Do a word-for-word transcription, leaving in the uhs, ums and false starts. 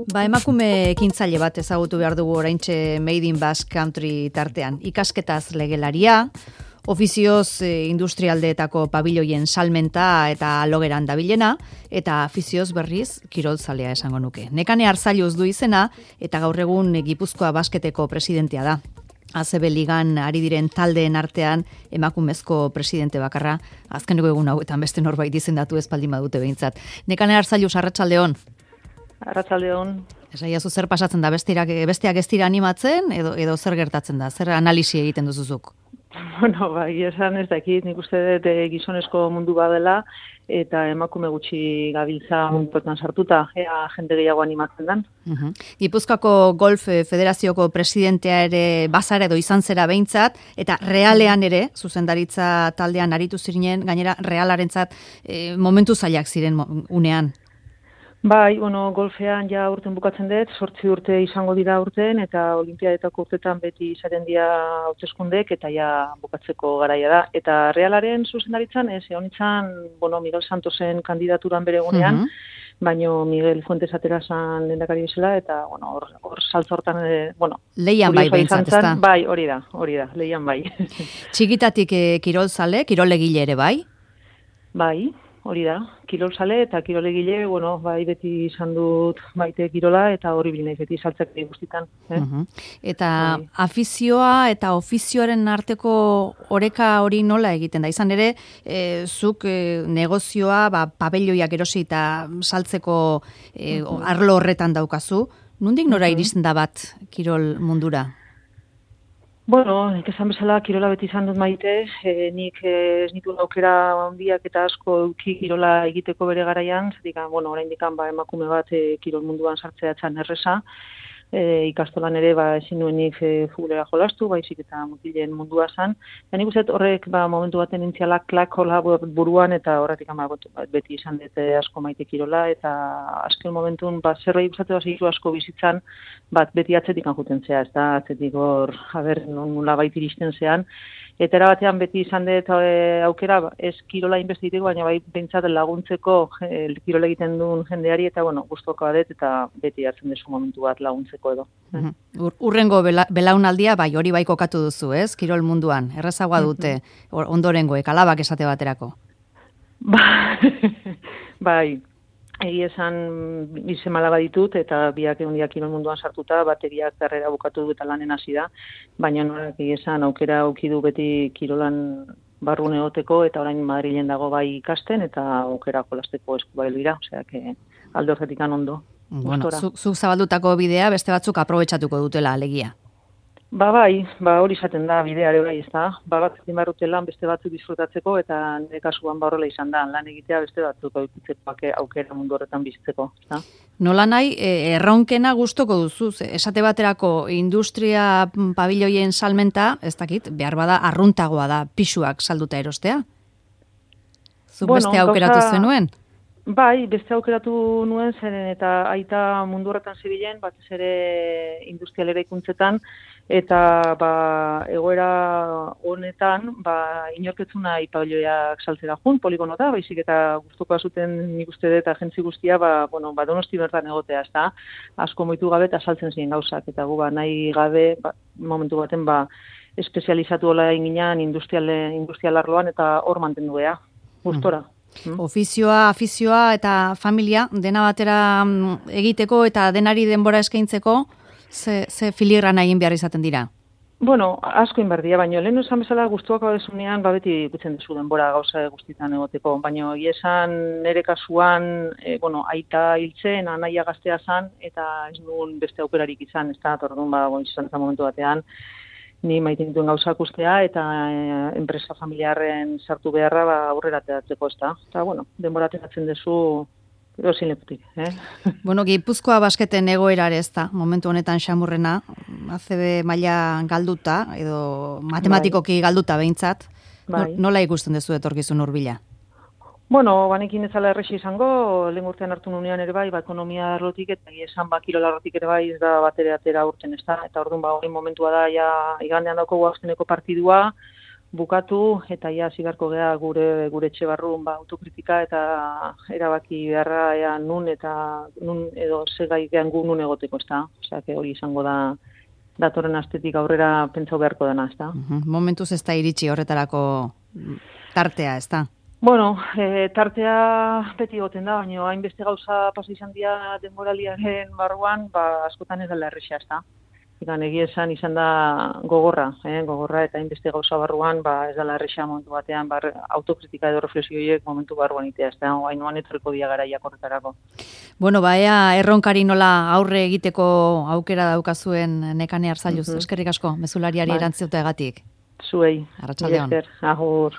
Ba, emakume ekintzaile bat ezagutu behar dugu oraintxe Made in Basque Country tartean. Ikasketaz legelaria, ofizioz e, industrialdeetako pabiloien salmenta eta logeran dabilena, eta afizioz berriz kirolzalea esango nuke. Nekane Arzailuz du izena, eta gaur egun Gipuzkoa Basketeko presidentea da. A C B Ligan ari diren taldeen artean emakumezko presidente bakarra, azkeneko egun hauetan beste norbait izendatu espaldin badute behintzat. Nekane Arzailuz, arratsaldeon. Arratsaldeon. Esaiazu zer pasatzen da, besteak, besteak ez dira animatzen, edo, edo zer gertatzen da, zer analisi egiten duzuzuk? Bueno, bai, esan ez dakit, nik uste dut gizonezko mundu badela, eta emakume gutxi gabiltza munduetan sartuta, ea jende gehiago animatzen den. Uh-huh. Gipuzkoako Golf Federazioko presidentea ere bazara edo izan zera behintzat, eta realean ere, zuzendaritza taldean aritu ziren, gainera realarentzat e, momentu zailak ziren unean. Bai, bueno, golfean ja urten bukatzen dut, zortzi urte izango dira urten, eta olimpiadetako urtetan beti izaten dira hauteskundek, eta ja bukatzeko garaia da. Eta realaren zuzendaritzan, ez, egon itzan, bueno, Miguel Santosen kandidaturan bere egunean, uh-huh. baino Miguel Fuentes atera zan lehendakari bezala, eta, bueno, hor, hor saltzortan, e, bueno... Leian bai behintzat, ez da? Bai, hori da, hori da, leian bai. Txikitatik e, kirolzale, kirolegile ere bai? Bai. Hori da, kirolzale eta kirolegile, bueno, bai beti izan dut maite kirola eta hori bilinaiz beti saltzak guztitan. Eh? Uh-huh. Eta bai. Afizioa eta ofizioaren arteko oreka hori nola egiten da? Izan ere, e, zuk e, negozioa, ba, pabelloiak erosi eta saltzeko e, uh-huh. arlo horretan daukazu. Nondik nora uh-huh. iristen da bat kirol mundura? Bueno, nik esan bezala kirola beti izan dut maite, e, nik ez nitu aukera handiak eta asko euki kirola egiteko bere garaian, zetik, bueno, oraindik ba, emakume bat e, kirol munduan sartzea txan erresa, e, ikastolan ere ba, ezin nuenik e, futbolera jolastu, baizik eta mutilen mundua zan. Eta nik uste horrek ba, momentu baten intzialak klak hola buruan eta horretik ba, beti izan dut asko maite kirola, eta azken momentun ba, zerbait gustatu da segitu asko bizitzan, bat beti atzetik anjuten zea, ez da, atzetik hor, haber, nula bait iristen zean, eta erabatean beti izan dut e, aukera, ez kirola inbestiteko, baina bai bentsat laguntzeko e, kirola egiten duen jendeari, eta bueno, guztoko adet, eta beti hartzen desu momentu bat laguntzeko edo. Uh-huh. Ur, urrengo bela, belaunaldia, bai, hori bai kokatu duzu, ez? Kirol munduan, errazagoa dute, uh-huh. ondorengoek, alabak esate baterako. Bai, egi esan izen malaba ditut, eta biak egun diak kirol munduan sartuta, bateriak karrera bukatu du eta lanen hasi da, baina norak egi esan aukera aukidu beti kirolan barrun egoteko, eta orain Madrilen dago bai ikasten, eta aukera jolasteko eskubail dira, osea, que alde horretik ondo. Bueno, zuk zu zabaldutako bidea beste batzuk aprobetxatuko dutela, alegia. Ba bai, ba hori izaten da bideare bai, ez da. Ba bat egin barrute lan beste batzuk disfrutatzeko, eta nire kasuan ba horrela izan da, lan egitea beste batzuk aukeratzeko aukera mundu horretan bizitzeko, ez da. Nola nahi, erronkena gustoko duzu, esate baterako industria pabiloien salmenta, ez dakit, behar bada arruntagoa da pisuak salduta erostea? Zuk bueno, beste aukeratu gauza... zenuen? Bai, beste aukeratu nuen zeren eta aita mundu horretan zibilen, batez ere industrialera ikuntzetan, eta ba, egoera honetan ba, inorketzuna ipabilloiak saltzera jun, poligono da, baizik eta gustukoa zuten nik uste dut agentzi guztia, ba, bueno, ba, Donosti bertan egotea, ez da, asko moitu gabe eta saltzen ziren gauzak, eta gu ba, nahi gabe, ba, momentu baten, ba, espezializatu hola inginan industrial, industrial arloan, eta hor mantenduea, gustora. Mm. Hmm. Ofizioa, afizioa eta familia dena batera egiteko eta denari denbora eskaintzeko ze, ze filigrana egin behar izaten dira? Bueno, asko inberdia, baina lehen esan bezala guztuak abezunean ba beti ikutzen duzu denbora gauza guztietan egoteko, baina esan nire kasuan, e, bueno, aita hiltzen, anaia gaztea zan, eta ez nuen beste aukerarik izan, ez da, tordun, ba, izan zen momentu batean, ni maite dituen gauzak ustea eta e, enpresa familiarren sartu beharra ba, aurrera ateratzeko, ez da. Eta, bueno, denbora ateratzen duzu erozin leputik. Eh? Bueno, Gipuzkoa Basketen egoerare ez da, momentu honetan xamurrena, A C B maila galduta, edo matematikoki bai. galduta behintzat. Bai. Nola ikusten duzu etorkizun hurbila? Bueno, banekin ez zala errexi izango, lehen urtean hartu nunean ere bai, ba, ekonomia arlotik eta esan ba, kirola arlotik ere bai, ez da batere atera urten ez da, eta orduan ba, hori momentua da, ja, igandean dauko azkeneko partidua, bukatu eta ja zigarko gea gure gure etxe barrun ba autokritika eta erabaki beharra ea nun eta nun edo segai gean gu nun egoteko, ezta? Osea, que hori izango da datorren astetik aurrera pentsau beharko dena, ezta? Uh-huh. Momentuz ez da iritsi horretarako tartea, ezta? Bueno, e, tartea beti egoten da, baina hainbeste gauza pasa izan dira denboraliaren barruan, ba askotan ez dela erresa, ezta? Egan egia esan izan da gogorra, eh? gogorra eta hainbeste gauza barruan, ba ez dela erresa momentu batean, bar, autokritika edo reflexio horiek momentu barruan itea, ezta? Hainoan etorriko dia garaiak horretarako. Bueno, ba, ea erronkari nola aurre egiteko aukera daukazuen Nekane Arzalluz, uh-huh. eskerrik asko, mezulariari bai. Erantzuteagatik. Zuei. Arratsaldeon. Agur.